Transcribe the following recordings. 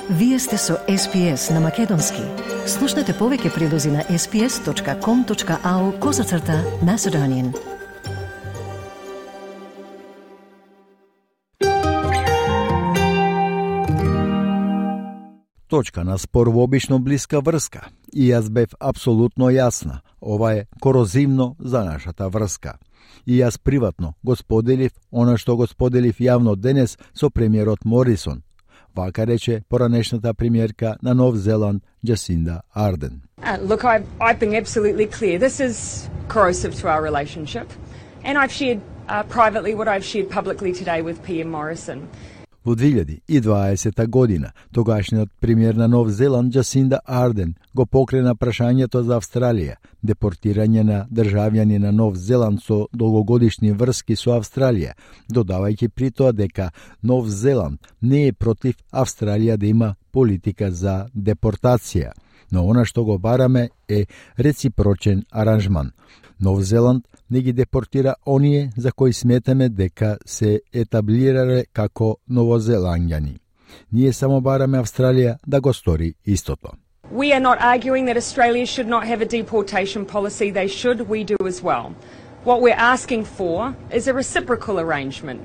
Вие сте со SPS на Македонски. Слушнете повеќе прилози на sps.com.au/Macedonian. Точка на спор во обично блиска врска. И јас бев апсолутно јасна. Ова е корозивно за нашата врска. И јас приватно го споделив она што го споделив јавно денес со премиерот Морисон. Вака рече поранешната премиерка на Нов Зеланд Джасинда Арден. Look, I've been absolutely clear. This is corrosive to our relationship. And I've shared privately what I've shared publicly today with PM Morrison. Во 2020 година, тогашниот премиер на Нов Зеланд Джасинда Арден го покрена прашањето за Австралија, депортирање на државјани на Нов Зеланд со долгогодишни врски со Австралија, додавајќи при тоа дека Нов Зеланд не е против Австралија да има политика за депортација, но она што го бараме е реципрочен аранжман. Нов Зеланд не ги депортира оние за кои сметаме дека се етаблирале како новозеланѓани. Ние само бараме Австралија да го стори истото. We are not arguing that Australia should not have a deportation policy. They should. We do as well. What we're asking for is a reciprocal arrangement.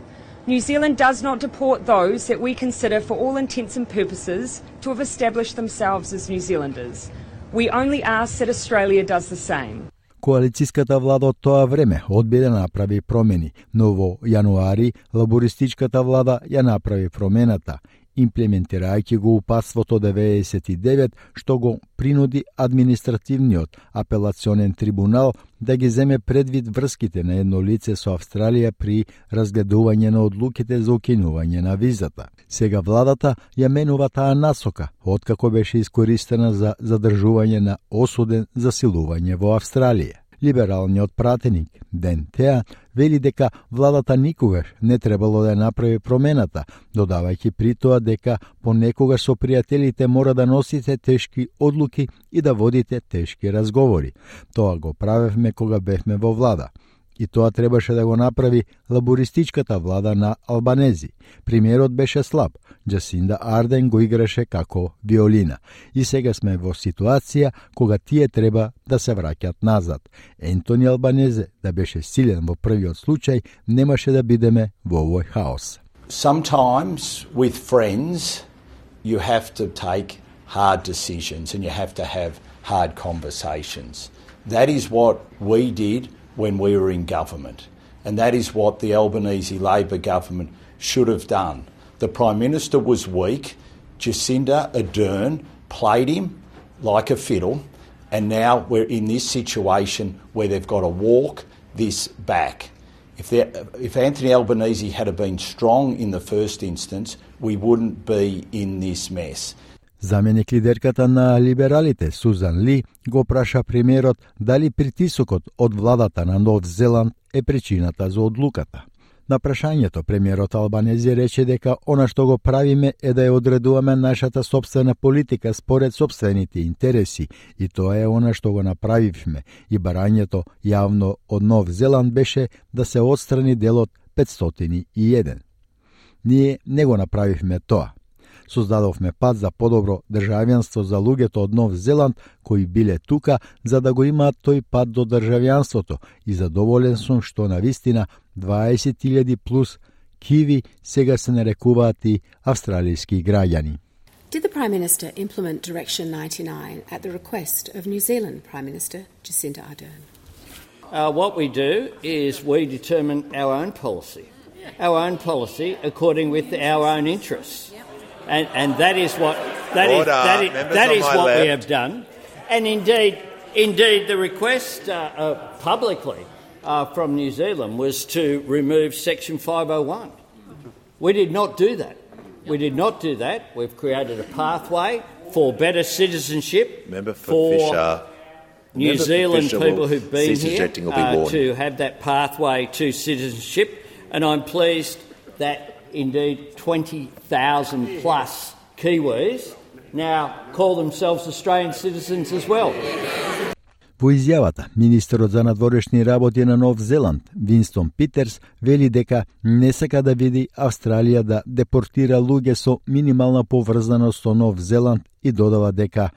New Zealand does not deport those that we consider for all intents and purposes to have established themselves as New Zealanders. We only ask that Australia does the same. Коалицијската влада од тоа време одби да направи промени, но во јануари лабористичката влада ја направи промената, имплементирајќи го упатството 99 што го принуди административниот апелационен трибунал да ги земе предвид врските на едно лице со Австралија при разгледување на одлуките за укинување на визата. Сега владата ја менува таа насока, откако беше искористена за задржување на осуден за силување во Австралија. Либералниот пратеник Ден Теа вели дека владата никогаш не требало да направи промената, додавајќи при тоа дека понекогаш со пријателите мора да носите тешки одлуки и да водите тешки разговори. Тоа го правевме кога бевме во влада. И тоа требаше да го направи лабористичката влада на Албанези. Премиерот беше слаб, Джасинда Арден го играше како виолина. И сега сме во ситуација кога тие треба да се враќат назад. Ентони Албанезе да беше силен во првиот случај, немаше да бидеме во овој хаос. Sometimes with friends you have to take hard decisions and you have to have hard conversations. That is what we did when we were in government. And that is what the Albanese Labor government should have done. The Prime Minister was weak. Jacinda Ardern played him like a fiddle. And now we're in this situation where they've got to walk this back. If Anthony Albanese had been strong in the first instance, we wouldn't be in this mess. Заменик лидерката на либералите Сузан Ли го праша премиерот дали притисокот од владата на Нов Зеланд е причината за одлуката. На прашањето премиерот Албанези рече дека она што го правиме е да ја одредуваме нашата сопствена политика според сопствените интереси и тоа е она што го направивме и барањето јавно од Нов Зеланд беше да се отстрани делот 501. Ние не го направивме тоа. Создадовме пат за подобро државјанство за луѓето од Нов Зеланд кои биле тука за да го имаат тој пат до државјанството и задоволен сум што навистина 20.000 плюс киви сега се нарекуваат и австралијски граѓани. Did the Prime Minister implement Direction 99 at the request of New Zealand Prime Minister Jacinda Ardern? What we do is we determine our own policy according with our own interests. And that is what we have done. And indeed the request publicly from New Zealand was to remove Section 501. We did not do that. We've created a pathway for better citizenship for Fisher. New Zealand people who've been here to have that pathway to citizenship. And I'm pleased that indeed 20,000 plus Kiwis now call themselves Australian citizens as well. Во изјавата, министерот за надворешни работи на Нов Зеланд, Винстон Питерс, вели дека не сака да види Австралија да депортира луѓе со минимална поврзаност со Нов Зеланд и додава дека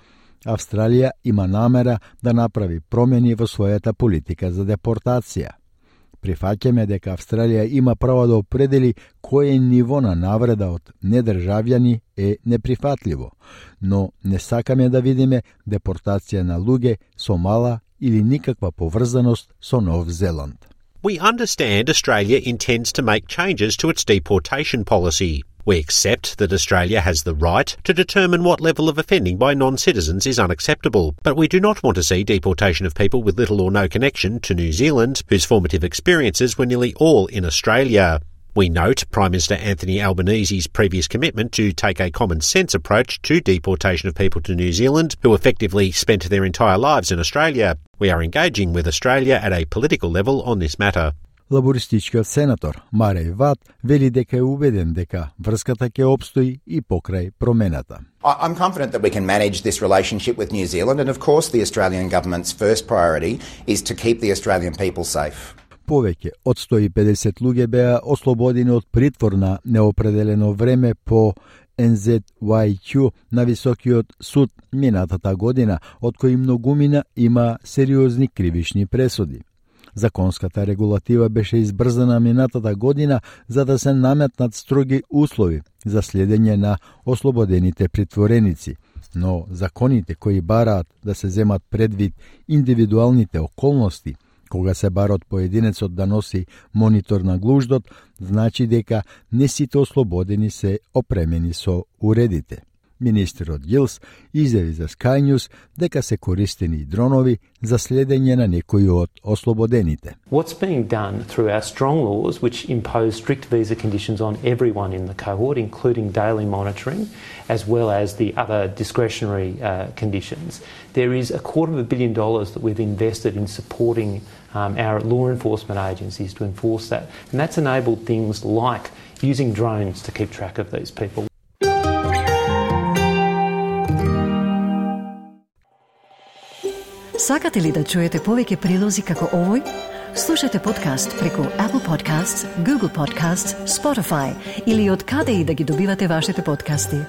Австралија има намера да направи промени во својата политика за депортација. Прифаќаме дека Австралија има право да определи кое ниво на навреда од недржавјани е неприфатливо, но не сакаме да видиме депортација на луѓе со мала или никаква поврзаност со Нов Зеланд. We understand Australia intends to make changes to its deportation policy. We accept that Australia has the right to determine what level of offending by non-citizens is unacceptable, but we do not want to see deportation of people with little or no connection to New Zealand, whose formative experiences were nearly all in Australia. We note Prime Minister Anthony Albanese's previous commitment to take a common-sense approach to deportation of people to New Zealand who effectively spent their entire lives in Australia. We are engaging with Australia at a political level on this matter. Лабористичкиот сенатор Мареј Ват вели дека е убеден дека врската ќе опстои и покрај промената. I'm confident that we can manage this relationship with New Zealand, and of course the Australian government's first priority is to keep the Australian people safe. Повеќе од 150 луѓе беа ослободени од притвор на неопределено време по NZYQ на Високиот суд минатата година, од кои многумина има сериозни кривични пресуди. Законската регулатива беше избрзана минатата година за да се наметнат строги услови за следење на ослободените притвореници, но законите кои бараат да се земат предвид индивидуалните околности кога се бара од поединецот да носи монитор на глуждот, значи дека не сите ослободени се опремени со уредите. Министерот Гилс изјави за Sky News дека се користени дронови за следење на некои од ослободените. What's being done through our strong laws, which impose strict visa conditions on everyone in the cohort, including daily monitoring, as well as the other discretionary conditions. There is $250 million that we've invested in supporting our law enforcement agencies to enforce that. And that's enabled things like using drones to keep track of these people. Сакате ли да чуете повеќе прилози како овој? Слушате подкаст преку Apple Podcasts, Google Podcasts, Spotify или од каде и да ги добивате вашите подкасти.